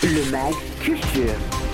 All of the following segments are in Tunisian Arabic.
Le Mag Culture.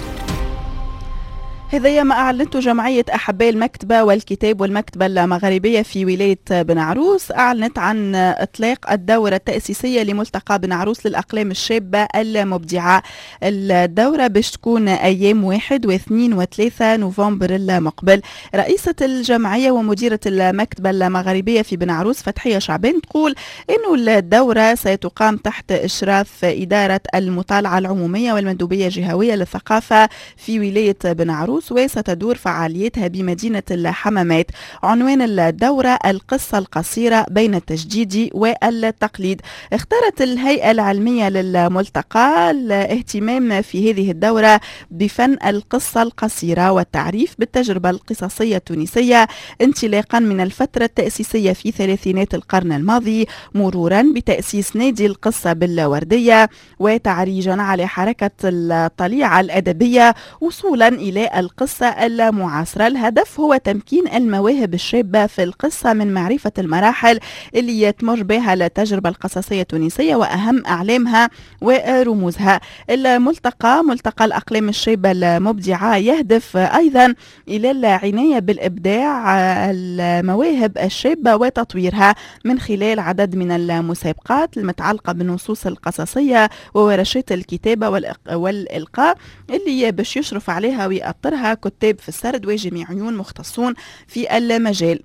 هذا ما أعلنته جمعية أحباء المكتبة والكتاب والمكتبة المغاربية في ولاية بن عروس. أعلنت عن إطلاق الدورة التأسيسية لملتقى بن عروس للأقلام الشابة المبدعة. الدورة باش تكون أيام 1 و2 و3 نوفمبر المقبل. رئيسة الجمعية ومديرة المكتبة المغاربية في بن عروس فتحية شعبان تقول إنه الدورة ستقام تحت إشراف إدارة المطالعة العمومية والمندوبية الجهوية للثقافة في ولاية بن عروس، وستدور فعاليتها بمدينة الحمامات. عنوان الدورة القصة القصيرة بين التجديد والتقليد. اختارت الهيئة العلمية للملتقى الاهتمام في هذه الدورة بفن القصة القصيرة والتعريف بالتجربة القصصية التونسية انطلاقا من الفترة التأسيسية في ثلاثينات القرن الماضي، مرورا بتأسيس نادي القصة بالوردية وتعريجا على حركة الطليعة الأدبية وصولا إلى القصة المعاصرة. الهدف هو تمكين المواهب الشابة في القصة من معرفة المراحل اللي تمر بها التجربة القصصية التونسية وأهم أعلامها ورموزها. الملتقى ملتقى الأقلام الشابة المبدعة يهدف أيضا إلى العناية بالإبداع المواهب الشابة وتطويرها من خلال عدد من المسابقات المتعلقة بالنصوص القصصية وورشات الكتابة والإلقاء اللي باش يشرف عليها ويأطرها كتاب في السرد وجميعيون مختصون في المجال.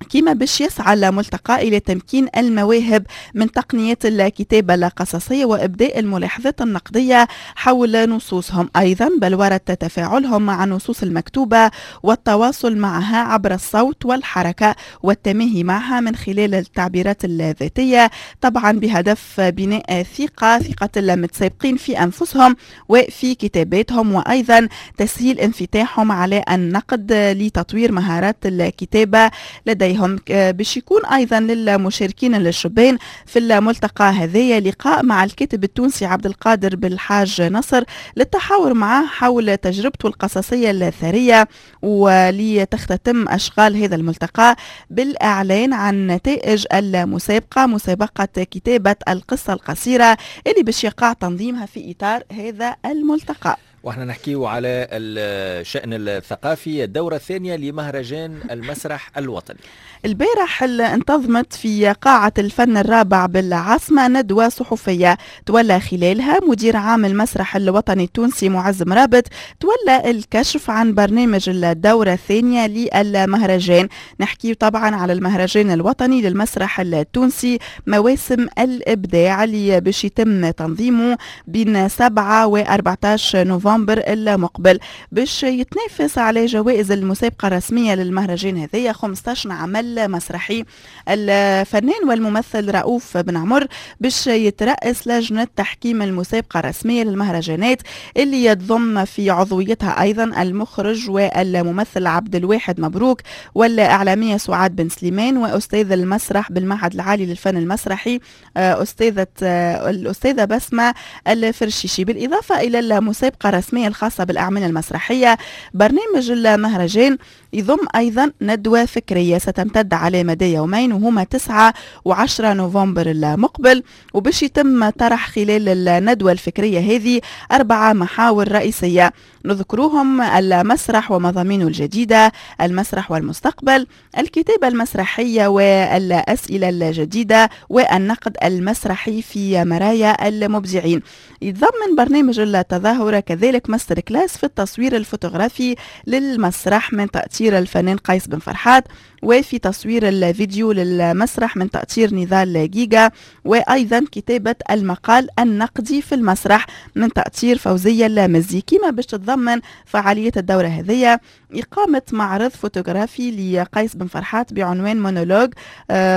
كما باش يسعى الملتقى إلى تمكين المواهب من تقنية الكتابة القصصية وإبداء الملاحظات النقدية حول نصوصهم، أيضا بلورة تفاعلهم مع النصوص المكتوبة والتواصل معها عبر الصوت والحركة والتماهي معها من خلال التعبيرات الذاتية، طبعا بهدف بناء ثقة المتسابقين في أنفسهم وفي كتاباتهم، وأيضا تسهيل انفتاحهم على النقد لتطوير مهارات الكتابة لديهم. باش يكون أيضا للمشاركين الشبان في الملتقى هذايا لقاء مع الكاتب التونسي عبد القادر بالحاج نصر للتحاور معه حول تجربته القصصية الثرية، ولتختتم أشغال هذا الملتقى بالإعلان عن نتائج المسابقة، مسابقة كتابة القصة القصيرة اللي باش يقع تنظيمها في إطار هذا الملتقى. واحنا نحكيه على الشأن الثقافي، الدورة الثانية لمهرجان المسرح الوطني. البارح انتظمت في قاعة الفن الرابع بالعاصمة ندوة صحفية تولى خلالها مدير عام المسرح الوطني التونسي معز مرابط تولى الكشف عن برنامج الدورة الثانية للمهرجان. نحكي طبعا على المهرجان الوطني للمسرح التونسي مواسم الإبداع اللي باش يتم تنظيمه بين 7 و 14 نوفمبر المقبل، باش يتنافس على جوائز المسابقة الرسمية للمهرجان هذيا 15 عمل مسرحي. الفنان والممثل رؤوف بن عمر باش يترأس لجنة تحكيم المسابقة الرسمية للمهرجانات اللي يتضم في عضويتها أيضا المخرج والممثل عبد الواحد مبروك والإعلامية سعاد بن سليمان وأستاذ المسرح بالمعهد العالي للفن المسرحي الأستاذة بسمة الفرشيشي. بالإضافة إلى المسابقة الرسمية الخاصة بالأعمال المسرحية، برنامج المهرجان يضم أيضا ندوة فكرية ستمتد على مدى يومين وهما 9 و10 نوفمبر المقبل، وباش يتم طرح خلال الندوة الفكرية هذه 4 محاور رئيسية نذكروهم: المسرح ومضامينه الجديدة، المسرح والمستقبل، الكتابة المسرحية والأسئلة الجديدة، والنقد المسرحي في مرايا المبدعين. يتضمن برنامج التظاهرة كذلك master class في التصوير الفوتوغرافي للمسرح من تأثير الفنان قيس بن فرحات، وفي تصوير الفيديو للمسرح من تأثير نضال جيجا، وأيضا كتابة المقال النقدي في المسرح من تأثير فوزية المزي. كما باش تتضمن فعالية الدورة هذه إقامة معرض فوتوغرافي لقيس بن فرحات بعنوان مونولوج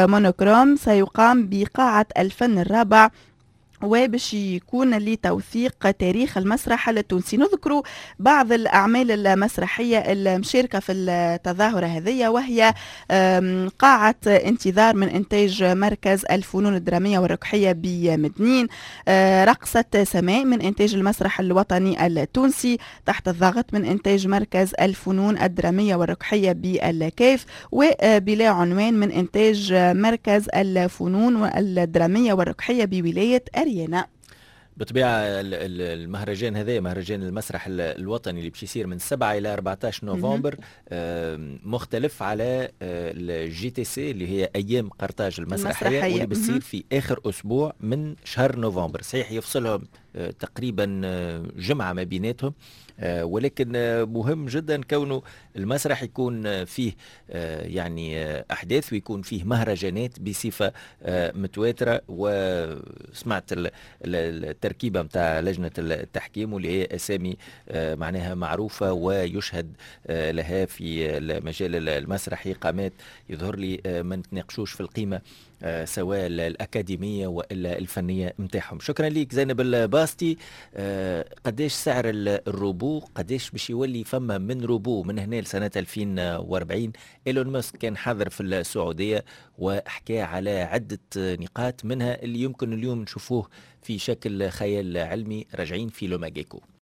monochrome سيقام بقاعة الفن الرابع، وباش يكون لتوثيق تاريخ المسرح التونسي. نذكر بعض الأعمال المسرحية المشاركة في التظاهرة هذه، وهي قاعة انتظار من إنتاج مركز الفنون الدرامية والركحية بمدنين، رقصة سماء من إنتاج المسرح الوطني التونسي، تحت الضغط من إنتاج مركز الفنون الدرامية والركحية بالكاف، وبلا عنوان من إنتاج مركز الفنون الدرامية والركحية بولاية أريانا. بالطبيعة المهرجان هذا، مهرجان المسرح الوطني اللي باش يصير من 7 الى 14 نوفمبر، مختلف على ال JTC اللي هي ايام قرطاج المسرحيه، المسرحية، واللي بتصير في اخر اسبوع من شهر نوفمبر. صحيح يفصلهم تقريبا جمعه ما بيناتهم، ولكن مهم جدا كونه المسرح يكون فيه يعني احداث ويكون فيه مهرجانات بصفة متواتره. وسمعت التركيبة نتاع لجنة التحكيم، واللي هي اسامي معناها معروفة ويشهد لها في المجال المسرحي، قامات يظهر لي ما نتناقشوش في القيمة سواء الأكاديمية وإلا الفنية متاعهم. شكرا لك زينب الباستي. قديش سعر الروبو؟ قديش باش يولي فما من روبو من هنا لسنة 2040؟ إيلون ماسك كان حاضر في السعودية وحكى على عدة نقاط، منها اللي يمكن اليوم نشوفوه في شكل خيال علمي. راجعين في le mag éco.